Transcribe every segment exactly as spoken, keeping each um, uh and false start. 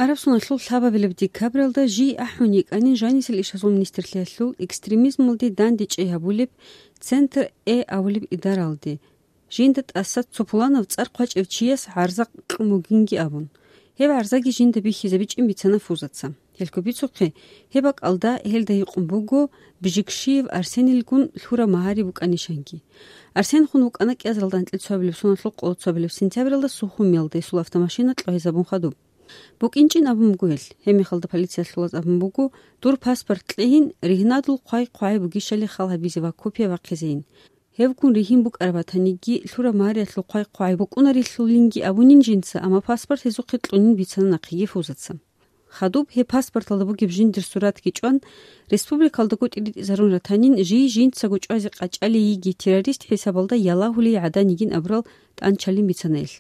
Араб соналъул лъабабилеб декабралда жий ахӀун йикӀанин жанисел ишазул министрлъиялъул экстремизмалде дандечӀей гьабулеб Центр Э абулеб идаралде, жинда тӀаса цо пуланав цӀар хъвачӀев чияс гӀарза кьун бугинги абун. Гьеб гӀарзаги жинда бихьизабичӀин бицана Фузаца. Гьелъго бицухъе, гьеб бакӀалда гьелда гьикъун буго Бжикшиев Арсенилгун лъураб магьари букӀанищанги. Арсен хун вукӀана кӀиазаралда анкьил цоабилеб соналъул къоло цоабилеб сентябралда Сухумиялда гьесул автомашина кьвагьизабун хадуб. БукӀинчӀин абун буго гьел. Гьебмехалда полициялъулаз абун буго, дур паспорт кьейин, ригьнадул хъвай-хъвагӀи бугищали хал гьабизе ва копия бахъизейин. Гьевгун ригьин букӀараб батаниги, лъураб магьариялъул хъвай-хъвагӀи букӀунарелъулинги абунин жинца, амма паспорт гьезухъе кьунин бицана нахъеги Фузаца. Хадуб гьеб паспорталда бугеб жиндир суратги чӀван, республикалдаго тӀиритӀизарун ратанин, жий жинцаго чӀвазе къачӀалей йиги террорист хӀисабалда ялагьулей гӀадан йигин абурал тӀанчалин бицана гьел.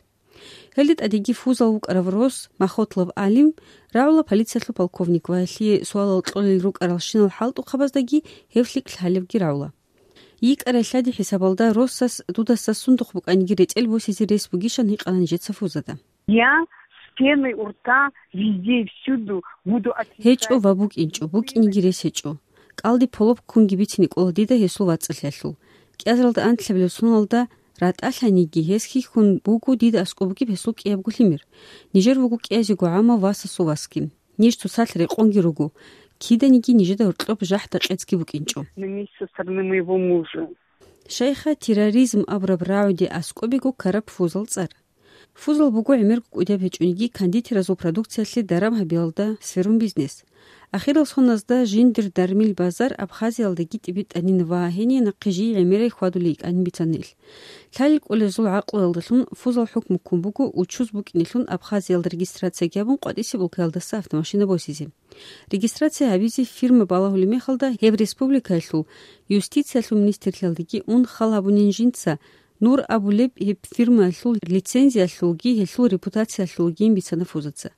Гьелде тӀадеги Фузал вукӀарав рос Махотлов Алим рагӀула полициялъул полковник ва гьелъие суалал кьолел рукӀаралщинал хӀалтӀухъабаздаги гьев лъикӀ лъалебги рагӀула. ЙикӀарай лъади хӀисабалда росас дудаса сундухъ букӀаниги ретӀел босизе рес бугищан гьикъана нижеца Фузада. Я с пеной у рта везде и всюду буду отвечать. ГьечӀо ва букӀинчӀо, букӀиниги рес гьечӀо. КӀалди полоп ккунги бицине кӀола дида гьесул вацӀцӀалъиялъул. КӀиазаралда анлъабилеб соналда ратӀалъаниги, гьес хьихьун буго дида аскӀоб бугеб гьесул кӀиябго лъимер. Нижер вуго кӀиязего гӀама васасул васги. Ниж цоцалъ рекъонги руго. Киданиги нижеда гьоркьоб жахӀда-къецги букӀинчӀо. На месте со стороны моего мужа. Шайха терроризм абураб рагӀуде аскӀобего ккараб Фузал цӀар. Фузал буго гӀемерго кӀудияб гьечӀониги кондитеразул продукциялъе даран гьабиялда сверун бизнес. Ахирал соназда жиндир дармил базар Абхазиялдаги тӀибитӀанин ва гьение нахъе жий гӀемерай хьвадулей йикӀанин бицана ил. Лъалел кӀолезул гӀакълуялдалъун Фузал хӀукму ккун буго учуз букӀинелъун Абхазиялда регистрацияги гьабун къватӀисеб улкаялдаса автомашина босизе. Регистрация гьабизе фирма балагьулеб мехалда гьеб республикаялъул юстициялъул министрлъиялдаги ун хал гьабунин жинца, Нур абулеб гьеб фирмаялъул лицензиялъулги гьелъул репутациялъулгин бицана Фузаца.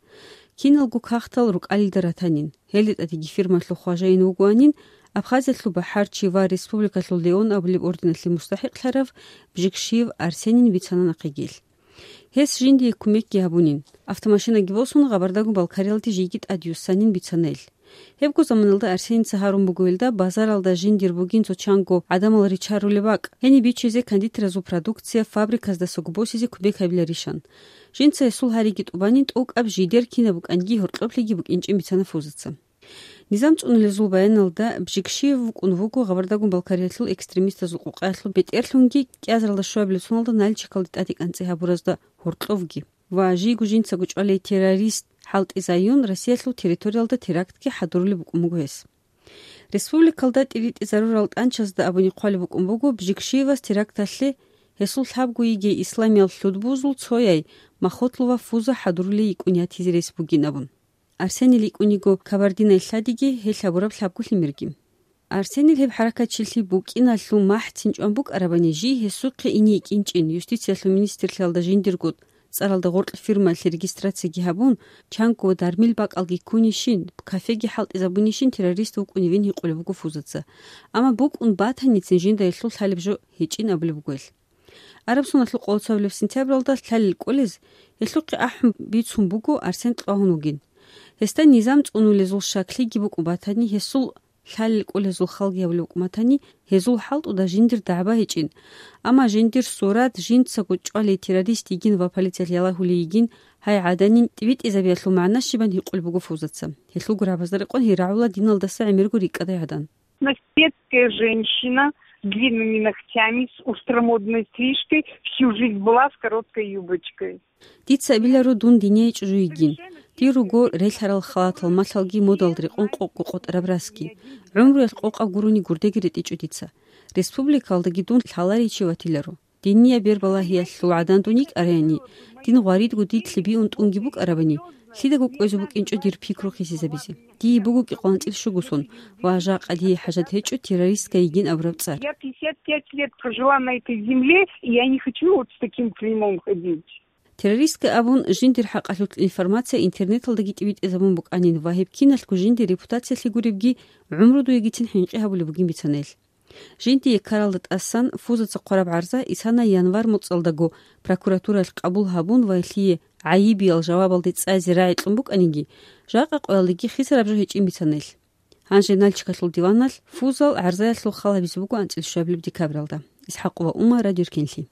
Киналго кагътал рукӀалилда ратанин, гьелде тӀадеги фирмаялъул хважаин вугоанин, Абхазиялъул бахӀарчи ва республикалъул Леон абулеб орденалъе мустахӀикълъарав Бжикшиев Арсенин бицана нахъеги ил. Гьес жиндие кумекги гьабунин. Автомашинаги босун, Гъабардагун Балкариялде жийги тӀадюссанин бицана ил. Гьебго заманалда Арсеница гьарун буго илда базаралда жиндир бугин цо чанго гӀадамал ричарулеб бакӀ, гьениб бичизе кондитеразул продукция фабриказдасаго босизе кумек гьабиларищан. Жинца гьесул гьариги тӀубанин тӀокӀаб жидер кинаб букӀанги гьоркьоблъиги букӀинчӀин бицана Фузаца. Низам цӀунулезул баяналда Бжикшиев вукӀун вуго Гъабардагун Балкариялъул экстремистазул къукъаялъул бетӀерлъунги кӀиазаралда щуабилеб соналда Нальчикалде тӀаде кӀанцӀи гьабуразда гьоркьовги ва жийго жинцаго чӀвалей террорист хӀалтӀизаюн Россиялъул территориялда терактги хӀадурулеб букӀун буго гьес. Республикалда тӀиритӀизарурал тӀанчазда абуни хъвалеб букӀун буго Бжикшиевас теракталъе гьесул лъабго йигей исламиял лъудбузул цояй Махотлова Фуза хӀадурулей йикӀун ятизе рес бугин абун. Арсенил йикӀуниго Кабардинай лъадиги гьел гьабураб лъабго лъимерги. Арсенил гьеб хӀаракатчилъи букӀиналъул махӀцин чӀван букӀарабани, жий гьесухъе ине йикӀинчӀин, юстициялъул министрлъиялда жиндирго цӀаралда гъоркь фирмаялъе регистрацияги гьабун, чанго дармил бакӀалги ккунищин, кафеги хӀалтӀизабунищин террорист вукӀуневин гьикъулеб буго Фузаца. Амма букӀун батаницин жинда гьелъул лъалеб жо гьечӀин абулеб буго гьел. Араб соналъул къоло цоабилеб сентябралда лъалел кӀолез гьелъухъе ахӀун бицун буго Арсен кьвагьун вугин. Гьесда низам цӀунулезул щаклъиги букӀун батани, гьесул лъалел кӀолезул халги гьабулеб букӀун батани, гьезул хӀалтӀуда жиндир дагӀба гьечӀин. Амма жиндир сурат жинцаго чӀвалей террорист йигин ва полициялъ ялагьулей йигин, гьай гӀаданин тӀибитӀизабиялъул магӀна щибан гьикъулеб буго Фузаца. Гьелъул гурабазда рекъон гьей рагӀула диналдаса гӀемерго рикӀкӀадай гӀадан. Наследская женщина с длинными ногтями, с устромодной стрижкой, всю жизнь была с короткой юбочкой. Дица абиларо дун динияй чӀужу йигин. Дир руго релълъарал халатал малъалги модалда рекъон къокъго къотӀараб расги. ГӀумруялъ къокъаб гурони гурдеги ретӀичӀо дица. Республикалдаги дун лъаларичи ватиларо. Динияй бербалагьиялъул гӀадан дун йикӀараяни, дин гъваридго дидлъи биун тӀунги букӀарабани, лъидаго кӀвезе букӀинчӀо дир пикру хисизабизе. Дие буго кӀикъоялда анцӀила щуго сон, ва жакъа дие хӀажат гьечӀо террористка йигин абураб цӀар. Я пятьдесят пять лет прожила на этой земле, и я не хочу вот с таким клеймом ходить. Террористка абун жиндир хӀакъалъулъ информация интернеталдаги тӀибитӀизабун букӀанин ва гьеб киналъго жиндир репутациялъе гуребги гӀумру дуегицин хӀинкъи гьабулеб бугин бицана гьел. Жиндие ккаралда тӀасан Фузаца хъвараб гӀарза исана январь моцӀалдаго прокуратураялъ къабул гьабун ва гьелъие гӀайибиял жавабалде цӀайзе рагӀи кьун букӀаниги, жакъа къоялдеги хисараб жо гьечӀин бицана ил. Гьанже Нальчикалъул диваналъ фузал гӀарзаялъул хал гьабизе буго анцӀила щуабилеб декабралда. ИсхӀакъова Ума, Радио Ркенлъи.